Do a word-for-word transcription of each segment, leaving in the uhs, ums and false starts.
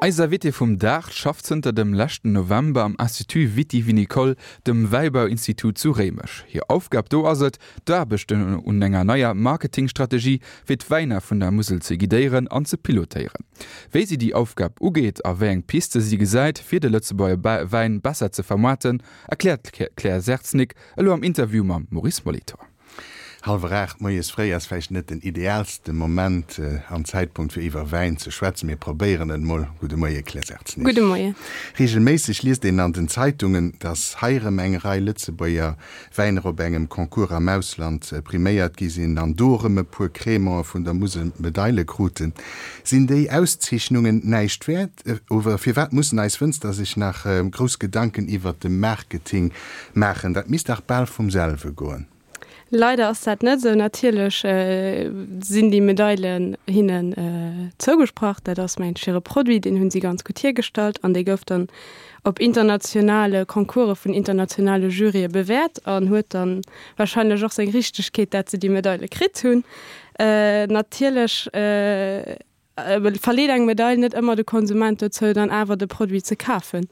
Eis Invitée vum Dag schafft zënter dem leschten November am Institut Viti-Vinicole, dem Wäibauinstitut zu Réimech. Hir Aufgab do ass et, d'Aarbechten un enger neier Marketingstrategie fir d'Wäiner vun der Musel ze guidéieren an ze pilotéieren. Wéi si déi Aufgab ugeet a wéi eng Piste si gesäit, fir de Lëtzebuerger Wäin besser ze vermaarten, erkläert d'Claire Sertznig elo am Interview mam Maurice Molitor. Hallwer aacht moies fréi ass vläicht net den ideaalste Moment an Zäitpunkt fir iwwer Wäin ze schwätzen. Mir probéieren et mol. Gudde Moie Claire Sertznig. Gudde Moie. Reegelméisseg liest een an den Zeitungen, datt hei erëm eng Rei Lëtzebuerger Wäiner op engem Concours am Ausland priméiert gi sinn an do erëm e puer Crémante vun der Musel Medaile kruten. Sinn déi Auszeechnungen näischt wäert oder firwat mussen eis Wënzer sech nach grouss Gedanken iwwert de Marketing maachen? Dat misst dach bal vum selwe goen. Leider ass dat net esou. Natierlech sinn déi Medailen hinnen zougesprach. Dat ass mengen ech hire Produit, deen hunn si ganz gutt hiergestallt an dee gouf dann op internationale Concourse vun internationale Jurye bewäert an huet dann wahrscheinlech och seng Richtegkeet, dat se déi Medaile kritt hunn. Natierlech verleet eng Medail net ëmmer de Konsument dozou, dann awer de Produit ze kafen.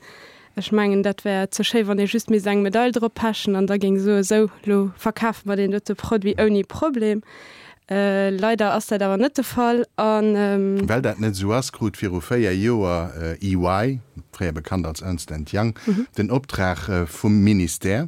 Ech mengen, dat wär ze schéi, wann ee just misst eng Medail drop pechen an da géing soen, Sou, lo verkafe mer deen dote Produit ouni Problem. Leider ass dat awer net de Fall an. Well dat net esou ass, krut viru véier Joer E Y, fréier bekannt als Ernst and Young, den Optrag vum Ministère,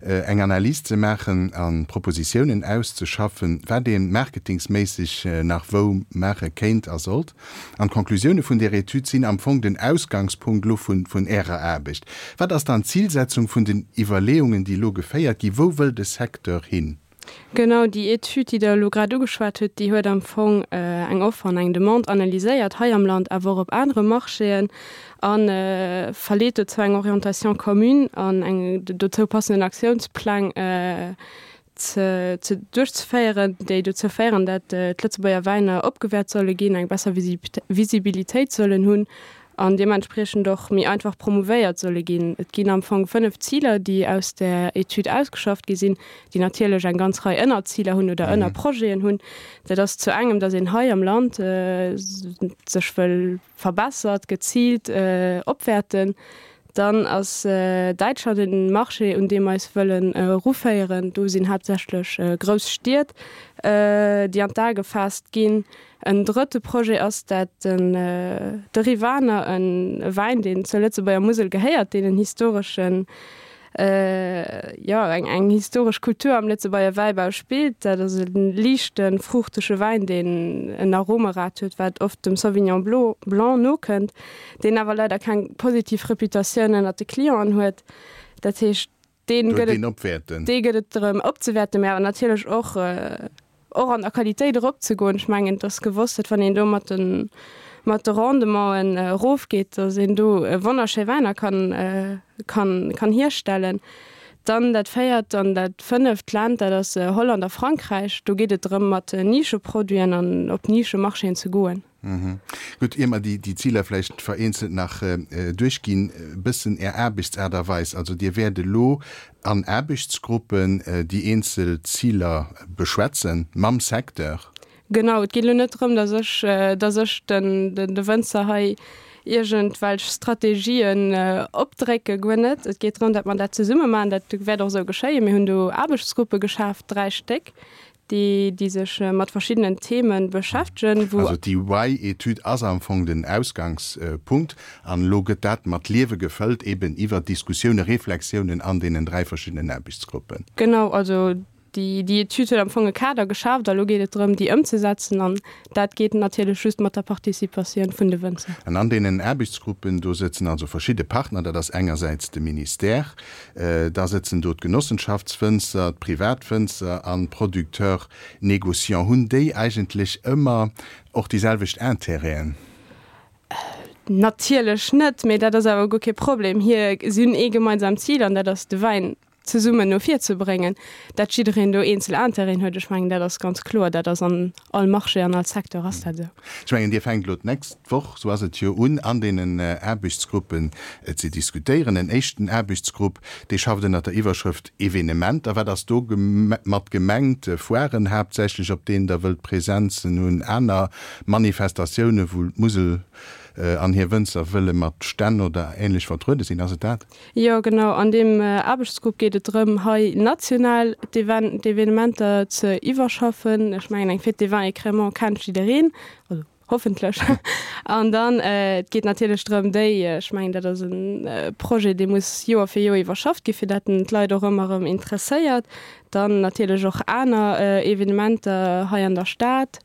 eng Analys ze maachen a Propositiounen auszeschaffen, wat ee marketingsméisseg nach wou maache kéint a sollt. An d'Conclusioune vun där Etüd sinn am Fong den Ausgangspunkt elo vun Ärer Aarbecht. Wat ass dann d'Zilsetzung vun den Iwwerleeungen, déi elo geféiert ginn? Wou wëll de Secteur hin? Genau, déi Etüd, déi Der elo grad ugeschwat hutt, déi huet am Fong eng Offer an eng Demande analyséiert, hei am Land, awer och op anere Marchéen, a verleet dozou eng Orientation commune an eng dozou passenden Aktiounspläng ze ze duerchzeféieren, déi dozou féieren, dat d'Lëtzebuerger Wäiner opgewäert solle ginn, eng besser Visibilitéit sollen hunn an deementspriechend och méi einfach promouvéiert solle ginn. Et ginn am Fong fënnef Ziler, déi aus där Etüd ausgeschafft gi sinn, déi natierlech eng ganz Rei Ënnerziler hunn oder Ënnerprojeten hunn. Dat ass zu engem, datt een hei am Land sech wëll verbessert, geziilt opwäerten. Dann ass Däitschland en Marché, un dee mer eis wëllen eruféieren. Do sinn haaptsächlech grouss Stied, déi an d'A gefaasst ginn. En drëtte Projet ass dat den de Rivaner, e Wäin, deen zur Lëtzebuerger Musel gehéiert, deen en historeschen, jo, eng eng historesch Kultur am Lëtzebuerger Wäibau spillt. Dat ass e liichten, fruuchtege Wäin, deen en Aromerad huet, wat oft dem Sauvignon Blanc nokënnt, deen awer leider keng positiv Reputatioun ënnert de Clienten huet. Dat heescht, deen gëtt et, dee gëtt et drëm opzewäerten, mä awer natierlech och, och an der Qualitéit eropzegoen. Ech mengen, et ass gewosst, datt wann een do mat de mat de Rendementen erofgeet, datt een do wonnerschéi Wäiner kann kann kann hierstellen. Dann dat véiert an dat fënneft Land, dat ass Holland a Frankräich. Do geet et drëm, mat Nischeproduiten an op Nischemarchéen ze goen. Gutt, ier mer déi Ziler vläicht vereenzelt nach duerchginn, e bëssen Är Aarbechtsaart a Weis. Also Dir wäert elo an Aarbechtsgruppen déi eenzel Ziler beschwätzen mam Secteur? Genau, et geet elo net drëm, datt ech, datt ech den, de Wënzer hei iergendwelch Strategien opdrécke, guer net. Et geet drëm, datt mer dat zesumme maachen. Dat wäert och esou geschéien. Mir hunn do Aarbechtsgruppe geschaaft, dräi Stéck, déi, déi sech mat verschiddenen Themen beschäftegen, wou. Also d'EY-Etüd ass am Fong den Ausgangspunkt an elo gëtt dat mat Liewe gefëllt, eben iwwer Diskussiounen, Reflexiounen an deenen dräi verschiddenen Aarbechtsgruppen. Genau, also déi, déi Etüd huet am Fong e Kader geschaaft a lo geet et drëm, déi ëmzesetzen an dat geet natierlech just mat der Participatioun vun de Wënzer. An an deenen Aarbechtsgruppen, do sëtzen also verschidde Partner, dat ass engersäits de Ministère, Da sëtzen do d'Genossenschaftswënzer, d'Privatwënzer an d'Producteurs négociants. Hunn déi eigentlech ëmmer och déi selwecht Intérêten? Natierlech net, mee dat ass awer guer kee Problem. Hir, si hunn ee gemeinsamt Zil an dat ass de Wäin zesummen no vir ze bréngen. Dat jiddereen do eenzel Intérêten huet, ech mengen, dat ass ganz kloer. Dat ass an all Marché, an all Secteur ass dat esou. Ech mengen, Dir fänkt elo d'nächst Woch, esou ass et jo, un an deenen Aarbechtsgruppen ze diskutéieren. En éischten Aarbechtsgrupp, dee schafft ënnert der Iwwerschrëft Evenementer. Wat ass do mat gemengt? Foiren haaptsächlech, op deenen Der wëllt Presenzen hunn, aner Manifestatiounen, wou d'Musel an hir Wënzer wëlle mat Stänn oder Änlech vertruede sinn. Ass et dat? Jo, genau. An deem Aarbechtsgrupp geet et drëm, hei national d'Evenementer ze iwwerschaffen. Ech mengen, eng Fête des vins et crémants kennt jiddereen, also hoffentlech. An dann, et geet natierlech drëm, déi, ech mengen, dat ass e Projet, dee muss Joer fir Joer iwwerschafft ginn, fir dat en d'Leit och ëmmer erëm interesséiert. Dann natierlech och aner Evenementer hei an der Stad,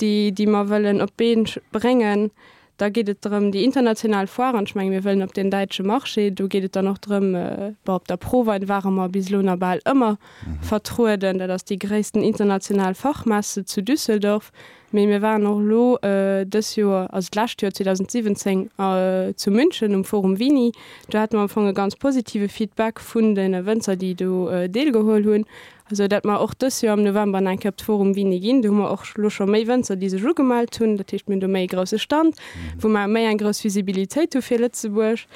déi, déi mer wëllen op d'Been bréngen. Da geet et drëm, déi international Foiren, ech menge mir wëllen op den däitsche Marché, do geet et dann och drëm, bon, op der ProWein ware mer bis elo nach bal ëmmer vertrueden, dat ass déi gréissten international Fachmesse zu Düsseldorf, mee mir waren och elo dës Joer, also d'lescht Joer zweedausendsiwwenzéng, zu München um Forum Vini, do hate mer am Fong e ganz positive Feedback vun de Wënzer, déi do deelgeholl hunn. Esou dat mer och dës Joer am November nach eng Kéier op d'Forum Vini ginn. Do hu mer och elo scho méi Wënzer, déi sech ugemellt hunn. Dat heescht, mir hunn do méi e grousse Stand, wou mer méi eng grouss Visibilitéit hu fir Lëtzebuerg.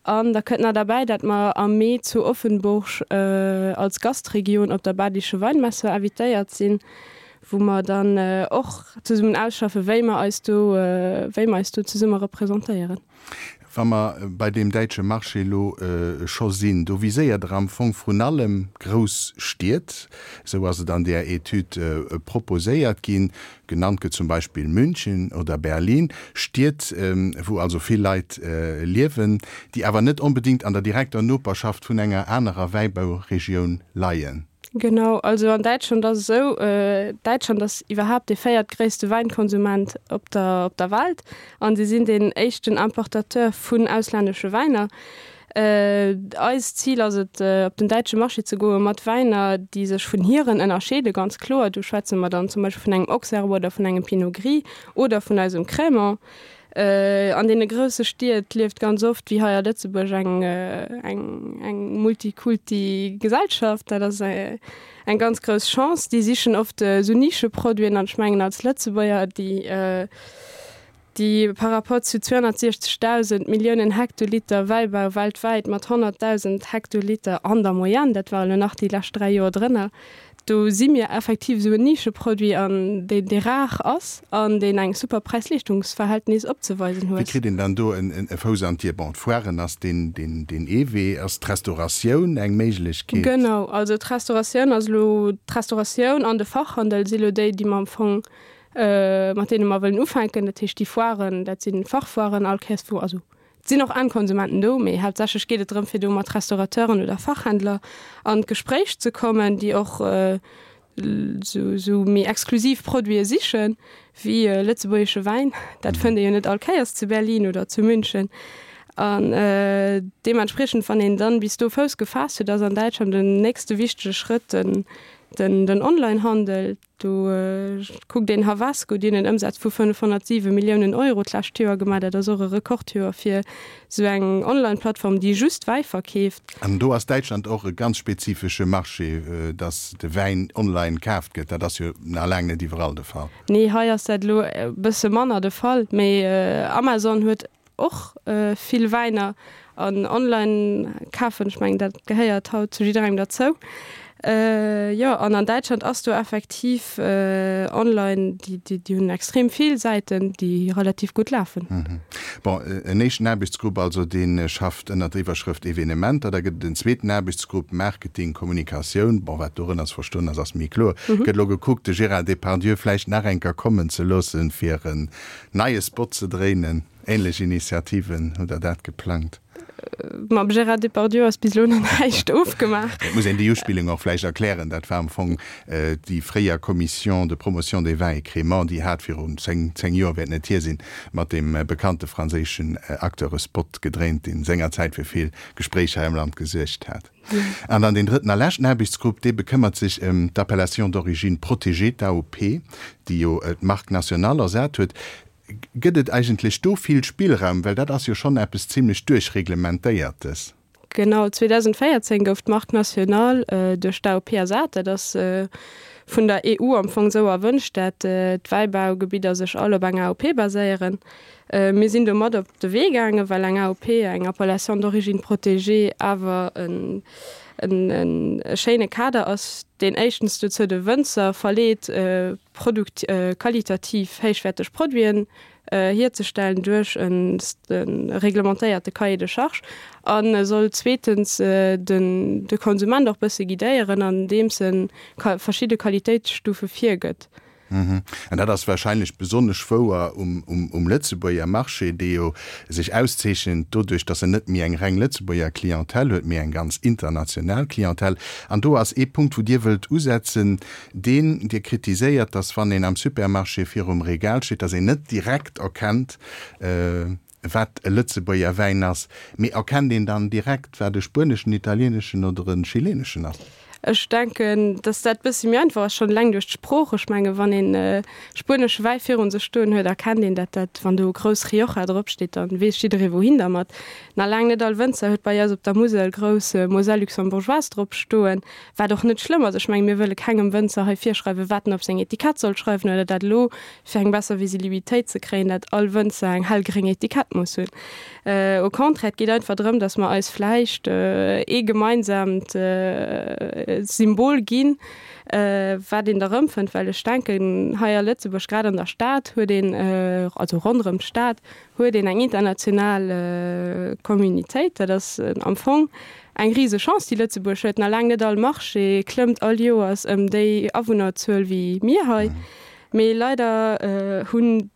An da kënnt nach derbäi, dat mer am Mee zu Offenburg als Gastregion op der Badische Weinmesse invitéiert sinn, wou mer dann och zesummen ausschaffen, wéi mer eis do, wéi mer eis do zesumme representéieren. Wa mer bei deem däitsche Marché elo scho sinn, do viséiert Der am Fong vrun allem grouss Stied, esou ass et an där Etüd proposéiert ginn. Genannt gëtt zum Beispill München oder Berlin, Stied, wou also vill Leit liewen, déi awer net onbedéngt an der direkter Noperschaft vun enger anerer Wäibauregioun leien. Genau, also an Däitschland ass et esou, Däitschland ass iwwerhaapt dee véiertgréisste Wäinkonsument op der op der Welt an si sinn deen éischten Importateur vun auslännesche Wäiner. Eist Zil ass et, op den däitsche Marché ze goe mat Wäiner, déi sech vun hiren ënnerscheede, ganz kloer. Do schwätze mer dann zum Beispill vun engem Auxerrois oder vun engem Pinot Gris oder vun eisem Crémant. An deene grousse Stied lieft ganz oft, wéi hei a Lëtzebuerg, eng eng eng multikulti Gesellschaft. Dat ass eng ganz grouss Chance. Déi sichen oft esou Nischeproduiten an ech mengen als Lëtzebuerger, déi déi par rapport zu zweehonnertsiechzegdausend Milliounen Hektoliter Wäibau weltwäit mat honnertdausend Hektoliter an der Moyenne, dat war elo nach déi lescht dräi Joer drënner, do si mir effektiv esou en Nischeproduit an deen dee rar ass an deen eng super Präis-Leeschtungsverhältnis opzeweisen Wéi huet. kritt een dann do e Fouss an d'Dier? Bon, d'Foiren ass deen deen deen ee Wee. Ass d'Restauratioun eng Méiglechkeet? Genau, also d'Restauratioun ass elo, d'Restauratioun an de Fachhandel si elo déi, déi mer am Fong, mat deene mer wëllen ufänken. Dat heescht déi Foiren, dat si Fachfoiren all Kéiers wou, also et sinn och Endkonsumenten do, mee haaptsächlech geet et drëm, fir do mat Restaurateuren oder Fachhändler an d'Gespréich ze kommen, déi och esou méi exklusiv Produite sichen, wéi lëtzebuergesche Wäin. Dat fënnt ee jo net all Kéiers zu Berlin oder zu München. An deementspriechend, wann een dann bis do Fouss gefaasst huet, ass an Däitschland den nächste wichtege Schrëtt den den Onlinehandel. Do kuckt een Havasco, déi hunn en Ëmsaz vu fënnefhonnertsiwe Milliounen Euro d'lescht Joer gemaach. Dat ass och e Rekordjoer fir esou eng Online-Plattform, déi just Wäi verkeeft. An do ass Däitschland och e ganz spezifesche Marché, datt de Wäin online kaaft gëtt. Dat ass jo nach laang net iwwerall de Fall. Nee, hei ass dat elo e bësse manner de Fall. Mee Amazon huet och vill Wäiner an online kafen, ech mengen dat gehéiert haut zu jidderengem derzou. Jo, an an Däitschland ass do effektiv online, déi déi hunn extrem vill Säiten, déi relativ gutt lafen. Bon, en éischten Aarbechtsgrupp also, dee schafft ënnert der Iwwerschrëft Evenementer. Da gëtt et en zweeten Aarbechtsgrupp Marketing, Kommunikatioun. Bon, wat dorënner ze verstoen ass, ass méi kloer. Gëtt elo gekuckt, de Gérard Depardieu vläicht nach eng Kéier kommen ze loossen, fir en neie Spot ze dréinen. Ähnlech Initiativen, hutt Der dat geplangt? Mam Gérard Depardieu ass bis elo nach näischt ofgemaach. Et muss een déi Uspillung och vläicht erklären. Dat war am Fong déi fréier Commission de promotion des vins et crémants, déi hat virun zéng, zéng Joer wäert net hier sinn, mat deem bekannte franséischen Acteur e Spot gedréint, deen sengerzäit fir vill Gespréich hei am Land gesuergt hat. An dann deen drëtten a leschten Aarbechtsgrupp, dee bekëmmert sech ëm d'Appellation d'origine protégée, d'AOP, déi jo d'Marque nationale ersat huet. Gëtt et eigentlech do vill Spillraum? Well dat ass jo schonn eppes zimlech Duerchreglementéiertes. Genau, zweedausendvéierzéng gouf d'Marque nationale duerch d'AOP ersat. Dat ass vun der E U am Fong esou erwënscht, dat d'Wäibaugebidder sech all op eng A O P baséieren. Mir sinn do mat op de Wee gaangen, well eng A O P, eng Appellation d'origine protégée, awer en en e schéine Kader ass, deen éischtens dozou de Wënzer verleet, Produkt qualitativ héichwäerteg Produiten hierzestellen duerch e reglementéierte Cahier de charges a soll zweetens den de Konsument och bësse guidéieren, andeems e verschidde Qualitéitsstufe virgëtt. An dat ass wahrscheinlech besonnesch wouer um Lëtzebuerger Marché, dee jo sech auszeechent doduerch, datt en net méi eng reng Lëtzebuerger Clientèle huet, mee eng ganz international Clientèle. An do ass ee Punkt, wou Dir wëllt usetzen, deen Dir kritiséiert, datt wann een am Supermarché virum Regal steet, datt een net direkt erkennt, wat e Lëtzebuerger Wäin ass, mee erkennt een dann direkt, wat e spueneschen, italieneschen oder e chileneschen ass? Ech denken, dass dat bëssi méi einfach ass, schonn eleng duerch d'Sprooch. Ech menge wann een spuenesche Wäi virun sech stoen huet, erkennt een dat, dat wann do grouss Rioja drop steet, dann weess jidderee wouhin dermat. Nach laang net all Wënzer huet bei eis op der Musel grouss Moselle luxembourgeoise drop stoen, wat och net schlëmm ass. Ech menge mir wëlle kengem Wënzer hei virschreiwen, wat en op seng Etikett soll schreiwen oder dat elo fir eng besser Visilibilitéit ze kréien, dat all Wënzer eng hellgréng Etikett muss hunn. Au contraire, et geet einfach drëm, dass mer eis vläicht ee gemeinsaamt Symbol ginn, wat een da erëmfënnt. Well ech denken, hei a Lëtzebuerg, grad an der Stad, huet een, also ronderëm d'Stad, huet een eng international Communitéit. Dat ass am Fong eng rise Chance, déi Lëtzebuerg huet. Nach laang net all Marché klëmmt all Joers ëm déi Awunnerzuel wéi mir hei. Mee leider hunn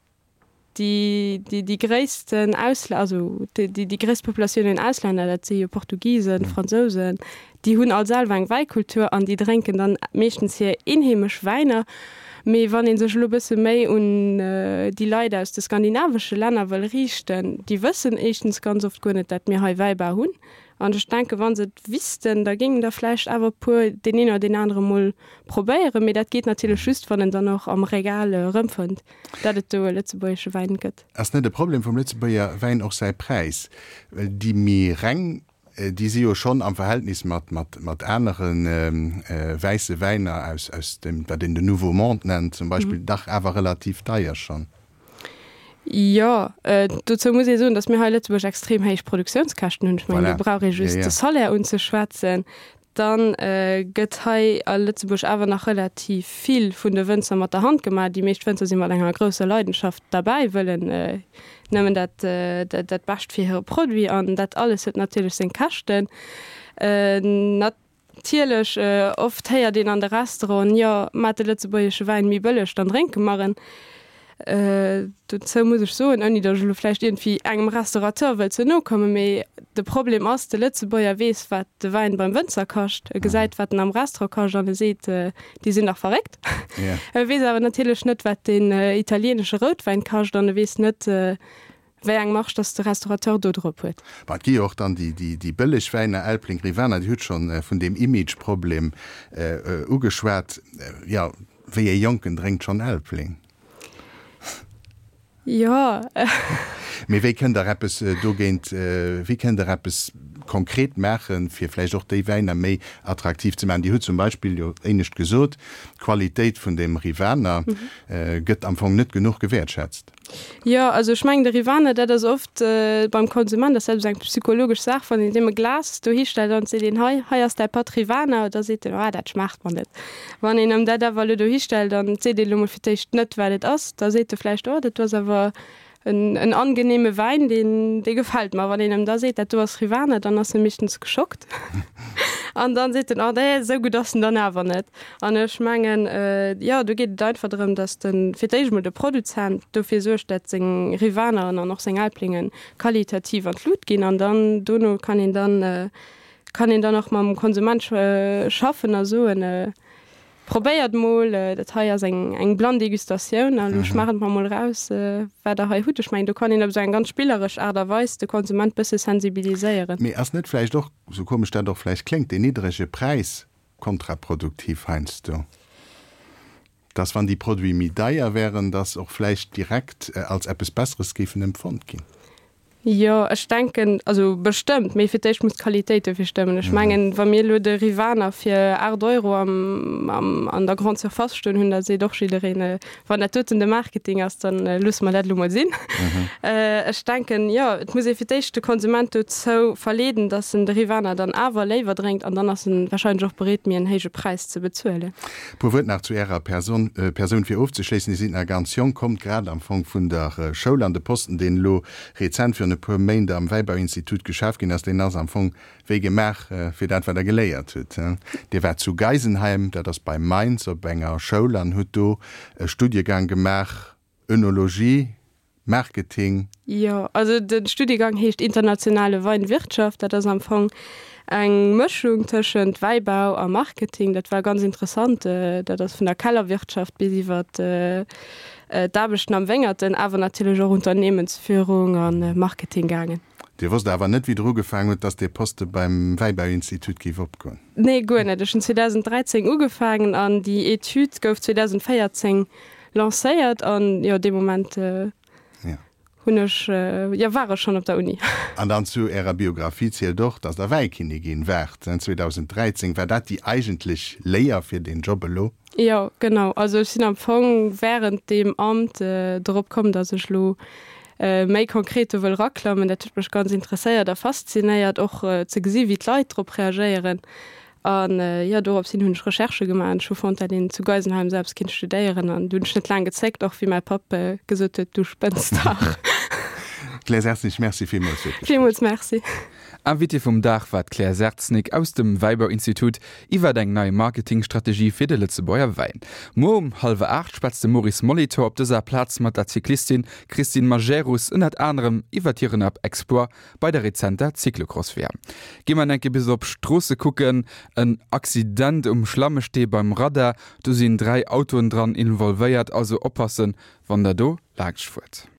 déi, déi, déi gréissten Ausl-, also déi, déi gréisst Populatioun un Auslänner, dat si jo Portugisen, Fransousen, déi hunn all selwer eng Wäikultur an déi drénken dann meeschtens hir eenheemesch Wäiner. Mee wann ee sech elo e bësse méi un déi Leit aus de skandinavesche Länner wëll riichten, déi wëssen éischtens ganz oft guer net, dat mir hei Wäibau hunn. An ech denken, wa se et wissten, da géingen der vläicht awer e puer deen een oder deen anere mol probéieren. Mee dat geet natierlech just, wann en dann och am Regal erëmfënnt, dat et do e lëtzebuergesche Wäin gëtt. Ass net e Problem vum Lëtzebuerger Wäin och säi Präis? Well déi méi reng, déi si jo schonn am Verhältnis mat, mat, mat anere wäisse Wäiner aus, aus dem, wat een den Nouveau Monde nennt zum Beispill, dach awer relativ deier schonn. Jo, dozou muss ee soen, datt mir hei a Lëtzebuerg extrem héich Produktiounskäschten hunn. Ech mengen, do brauch ee just de Salaire unzeschwätzen. Dann gëtt hei a Lëtzebuerg awer nach relativ vill vun de Wënzer mat der Hand gemaach. Déi meescht Wënzer si mat enger grousser Leidenschaft derbäi, wëllen nëmmen dat, dat Bescht fir hire Produit an dat alles huet natierlech seng Käschten. Natierlech, oft héiert een an de Restauranten, jo, maat de lëtzebuergesche Wäin méi bëlleg, dann drénke mer en. Dozou muss ech soen, ouni datt ech elo vläicht iergendwéi engem Restaurateur wëll ze no kommen, mee de Problem ass, de Lëtzebuerger weess, wat de Wäin beim Wënzer kascht, e gesäit, wat en am Restaurant kascht an e seet, déi sinn dach verréckt. E weess awer natierlech net, wat deen italienesche Routwäin kascht an e weess net, wéi eng Marge datt de Restaurateur do drop huet. Bon, et gi jo och dann déi bëlleg Wäiner, Elbling, Rivaner, Dir hutt schonn vun deem Imageproblem ugeschwat. Jo, wéi ee Jonken drénkt schonn Elbling? Jo. Mee wéi kënnt Der eppes dogéint, wéi kënnt Der eppes konkret maachen, fir vläicht och déi Wäiner méi attraktiv ze maachen? Dir hutt zum Beispill jo éinescht gesot, d'Qualitéit vun dem Rivaner gëtt am Fong net genuch gewäertschätzt. Jo, also ech mengen de Rivaner, dat ass oft beim Konsument ass dat esou eng psychologesch Saach, wann een deem e Glas dohi stellt an seet een, hei, hei ass däi Patt Rivaner, da seet en, ah, dat schmaacht mer net. Wann een em dat awer elo dohi stellt an et seet een elo mol fir d'éischt net, wat et ass, da seet e vläicht, oh, dat do ass awer en, en angenehme Wäin, deen, dee gefält mer. Wann een em da seet, dat do ass Rivaner, dann ass e meeschtens geschockt. An dann seet en, oh nee, esou gutt ass en dann awer net. An ech mengen, jo, do geet et einfach drëm, datt de fir d'éischt emol de Produzent dofir suergt, datt seng Rivaneren an och seng Elblinge qualitativ an d'Lut ginn. An dann dono kann een dann, kann een dann och mam Konsument schaffen a soen, Probéiert mol, dat hei ass eng eng blann Degustatioun a lo schmaacht mer mol raus, wat der hei hutt. Ech mengen, do kann een op esou eng ganz spilleresch Aart a Weis de Konsument bësse sensibiliséieren. Mee ass net vläicht och, sou komesch dat och vläicht kléngt, deen niddrege Präis kontraproduktiv heiansdo? Dass wann déi Produite méi deier wären, dass och vläicht direkt als eppes Besseres géifen empfonnt ginn? Jo, ech denken, also bestëmmt, mee fir d'éischt muss d'Qualitéit dofir stëmmen. Ech mengen, wa mir elo de Rivaner fir aacht Euro am, am, an der Grande Surface stoen hunn, da seet och jiddereen, wann dat doten de Marketing ass, dann loosse mer dat elo mol sinn. Ech denken, jo, et muss ee fir d'éischt de Konsument dozou verleeden, dass en de Rivaner dann awer léiwer drénkt an dann ass en wahrscheinlech och bereet, méi en héije Präis ze bezuelen. E puer Wuert nach zu Ärer Person, Persoun fir ofzeschléissen. Dir sidd nach ganz jonk, kommt grad am Fong vun der Schoul an de Posten, deen elo rezent virun e puer Méint am Wäibauinstitut geschaf ginn ass, deen ass am Fong wéi gemaach fir dat, wat Der geléiert hutt. Dir waart zu Geisenheim, dat ass bei Mainz, op enger Schoul an hutt do e Studiegang gemaach, Önologie, Marketing. Jo, also de Studiegang heescht Internationale Weinwirtschaft. Dat ass am Fong eng Mëschung tëschent Wäibau a Marketing. Dat war ganz interessant. Dat ass vun der Kellerwirtschaft bis iwwer d'Aarbechten am Wéngerten, awer natierlech och Unternehmensführung a Marketing gaangen. Dir wosst awer net, wéi Der ugefaangen hutt, dass dee Poste beim Wäibauinstitut géif opgoen? Nee, guer net. Ech hunn zweedausendräizéng ugefaangen an déi Etüd gouf zweedausendvéierzéng lancéiert an jo, dee Moment hunn ech, jo, war ech schonn op der Uni. An dann zu Ärer Biografie zielt och, dass Der Wäikinnigin waart zweedausendräizéng. War dat déi eigentlech Léier fir deen Job elo? Jo, genau. Also ech sinn am Fong wärend deem Amt drop komm, dass ech elo méi konkret do wëll raklammen. Dat huet mech ganz interesséiert a faszinéiert, och ze gesi wéi d'Leit drop reagéieren. An jo, dorops hin hunn ech Recherchë gemaach an ech hu fonnt, dat een zu Geisenheim selbst kinnt studéieren. An du hunn ech net laang gezéckt, och wéi mäi Papp gesot huet, Du spënns dach. Claire Sertznig, Merci villmools fir d'Gespréich. Villmools Merci. Invitée vum Dag war d'Claire Sertznig aus dem Wäibauinstitut iwwert eng nei Marketingstrategie fir de Lëtzebuerger Wäin. Muer um hallwer aacht schwätzt de Maurice Molitor op dëser Plaz mat der Cyclistin Christine Majerus ënnert anerem iwwert hiren Exploit bei der rezenter Cyclocross-W M. Gi mer enke bis op Stroosse kucken. En Accident um Schlammestee beim Radar, do sinn dräi Autoen dran involvéiert, also oppassen wann der do laanscht fuert.